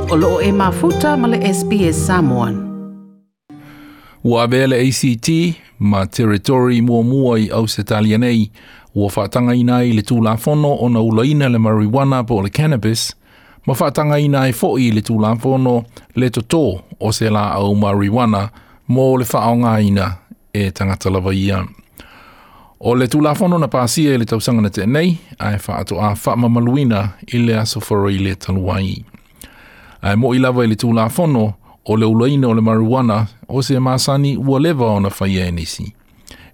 O loo e mafuta ma le SBS Samoan. Ua avea le ACT ma Territory muamua i Ausetalia nei ua faatagaina ai le Tulafono ona ulaina le marijuana po o le cannabis ma faatagaina ai foi le Tulafono le totō o se laau marijuana mo le faaaogaina e tagata lava ia. O le Tulafono na pasia i le tausaga na tea nei, ae faatoa faamamaluina i le aso Faraile talu ai. Ae mo'i lava i le Tulafono, o le ulaina o le marijuana o se masani ua leva ona faia e nisi.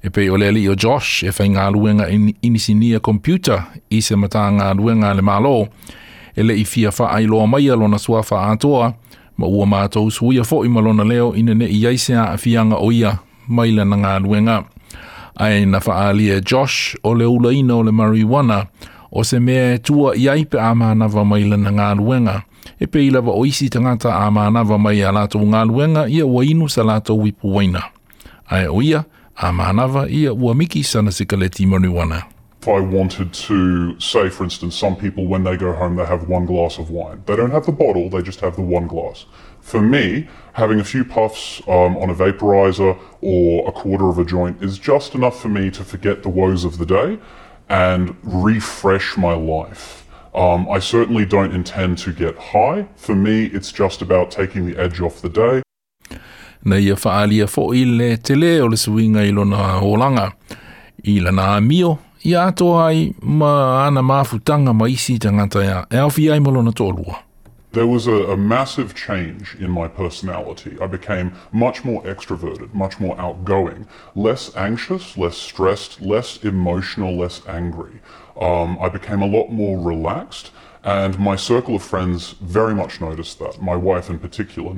E pei o le alii o Josh e faigaluega inisinia computer i se Matagaluega a le Malo, e le i fia faailoa maia lona suafa atoa, ma ua matou suia foi ma lona leo ina ne i i ai se aafiaga o ia mai lana galuega. Ae na faaalia e Josh o le ulaina o le marijuana o se mea e tua i ai pe a manava mai lana galuega. E pei lava o isi tagata a manava mai a latou galuega ia ua inu sa latou ipu uaina. Ae o ia, a manava ia ua miki sana sikaleti marijuana. If I wanted to say, for instance, some people when they go home they have one glass of wine. They don't have the bottle, they just have the one glass. For me, having a few puffs on a vaporizer or a quarter of a joint is just enough for me to forget the woes of the day and refresh my life. I certainly don't intend to get high. For me, it's just about taking the edge off the day. Na ia faaalia foi le tele o le suiga i lona olaga, i lana amio, ia atoa ai ma ana mafutaga ma isi tagata e aofia ai ma lona toalua. There was a massive change in my personality. I became much more extroverted, much more outgoing, less anxious, less stressed, less emotional, less angry. I became a lot more relaxed, and my circle of friends very much noticed that, my wife in particular.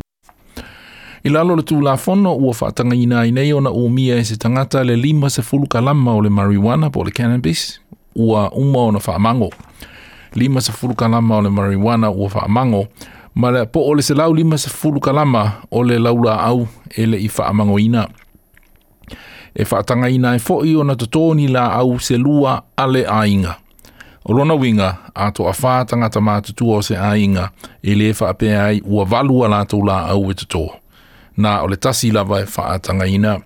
I lalo o le Tulafono ua faatagaina ai nei ona umia e se tagata le 50 kalama o le marijuana po o le cannabis ua uma ona faamago. 50 kalama o le marijuana ua faamago ma le po o le 150 kalama o le laulaau e le i faamagoina. E faatagaina ai foi ona totō ni laau se lua a le aiga. O lona uiga, a toafā tagata matutua o se aiga, e le faapea ai ua valu a latou laau e totō. Na o le tasi lava e faatagaina.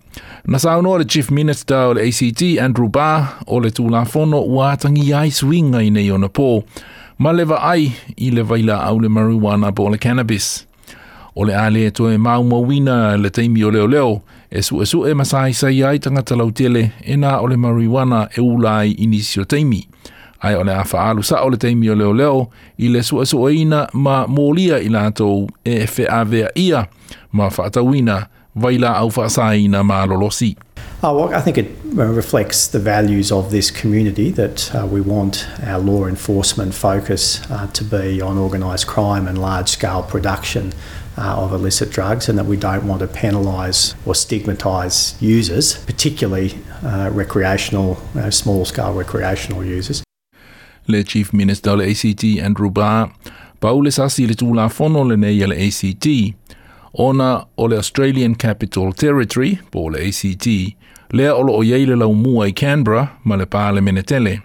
Na saunoa le Chief Minister o le ACT, Andrew Barr, o le Tulafono ua atagia ai suiga i nei ona pō, ma le vaai i le vailaau le marijuana po o le cannabis. O le a le toe maumauina le taimi o leoleo e suesue ma saisai ai tagata lautele e na o le marijuana e ula ai i nisi o taimi. Ae o le a faaalu sao le taimi o leoleo i le suesueina ma molia i latou e feaveaia ma faatauina vailaau faasaina malolosi. Oh, well, I think it reflects the values of this community that we want our law enforcement focus to be on organised crime and large-scale production of illicit drugs, and that we don't want to penalise or stigmatise users, particularly recreational, small-scale recreational users. Le Chief Minister o le ACT Andrew Barr, pau le sasi i le Tulafono lenei a le ACT, ona o le Australian Capital Territory, po o le ACT, lea o loo i ai le laumua i Canberra ma le Palemene tele.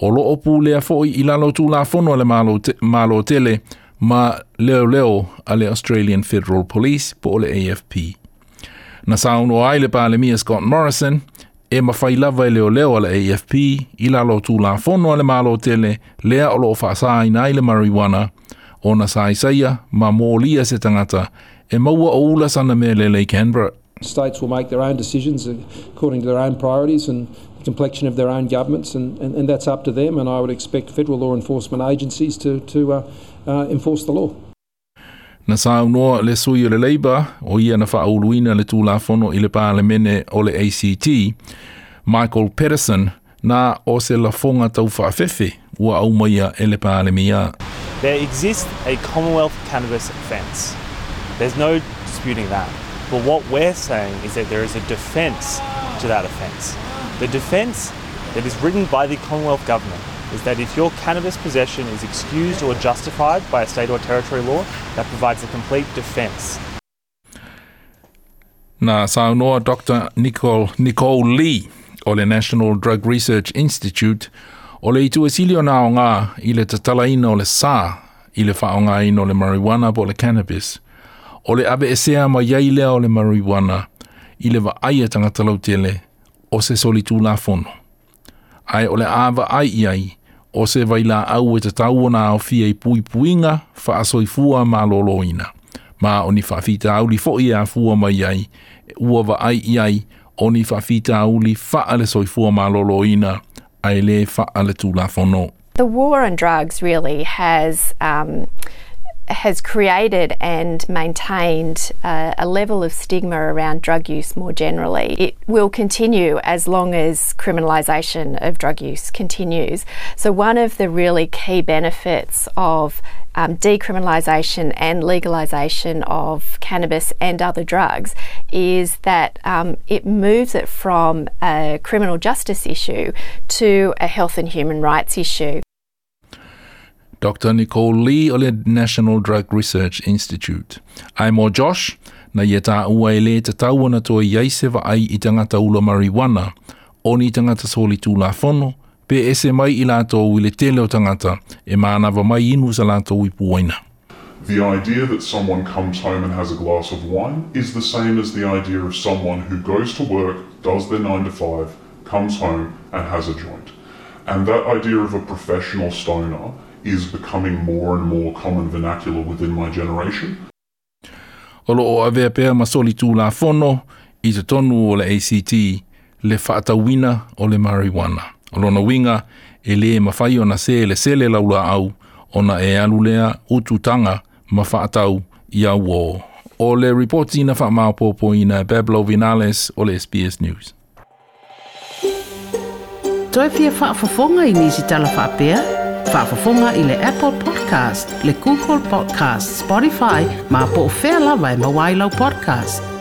O loo pulea foi i lalo o Tulafono a le Malo tele ma leoleo a le Australian Federal Police po o le AFP. Na saunoa ai le Palemia Scott Morrison, e mafai lava e leoleo a le AFP i lalo o Tulafono a le Malo tele lea o loo faasaina ai le marijuana ona saisaia ma molia se tagata e maua o ula sana mea lele i Canberra. States will make their own decisions according to their own priorities and the complexion of their own governments, and that's up to them, and I would expect federal law enforcement agencies to enforce the law. Na saunoa le sui o le Labour, o ia na faauluina le Tulafono i le Palemene o le ACT, Michael Pedersen, na o se lafoga tau faafefe ua aumaia e le Palemia. There exists a Commonwealth cannabis offence. There's no disputing that. But what we're saying is that there is a defence to that offence. The defence that is written by the Commonwealth Government is that if your cannabis possession is excused or justified by a state or territory law, that provides a complete defence. Na saunoa Dr. Nicole Lee o le National Drug Research Institute o le itu e sili ona aoga i le tatalaina o le sa i le faaaogaina o le marijuana po o le cannabis. O le aveesea mai ai lea o le marijuana i le vaai a tagata lautele o se solitulafono. Ae o le a vaai i ai o se vailaau e tatau ona aofia i puipuiga faasoifua malōlōina. Ma o ni faafitauli foi e afua mai ai, ua vaai i ai o ni faafitauli faale-soifua malōlōina ae le faale-tulafono. The war on drugs really has created and maintained a level of stigma around drug use more generally. It will continue as long as criminalisation of drug use continues. So one of the really key benefits of decriminalisation and legalisation of cannabis and other drugs is that it moves it from a criminal justice issue to a health and human rights issue. Dr. Nicole Lee o le National Drug Research Institute. Ae mo Josh, na ia taua e le tatau ona toe i ai se vaai i tagata ula marijuana, o ni tagata solitulafono, pe ese mai i latou i le tele o tagata e manava mai inu sa latou ipu uaina. The idea that someone comes home and has a glass of wine is the same as the idea of someone who goes to work, does their 9 to 5, comes home and has a joint. And that idea of a professional stoner is becoming more and more common vernacular within my generation. O lo o avea pea ma solitulafono i totonu o le ACT le faatauina o le marijuana. O lona uiga e le mafai ona selesele laulaau ona e alu lea ututaga ma faatau i auō. O le ripoti na faamaopoopoina e Pablo Vinales o le SBS News. Toe fia faafofoga i nisi tala faapea? Faafofoga i le Apple Podcast, le Google Podcast, Spotify, ma po o fea lava e maua ai lau podcast.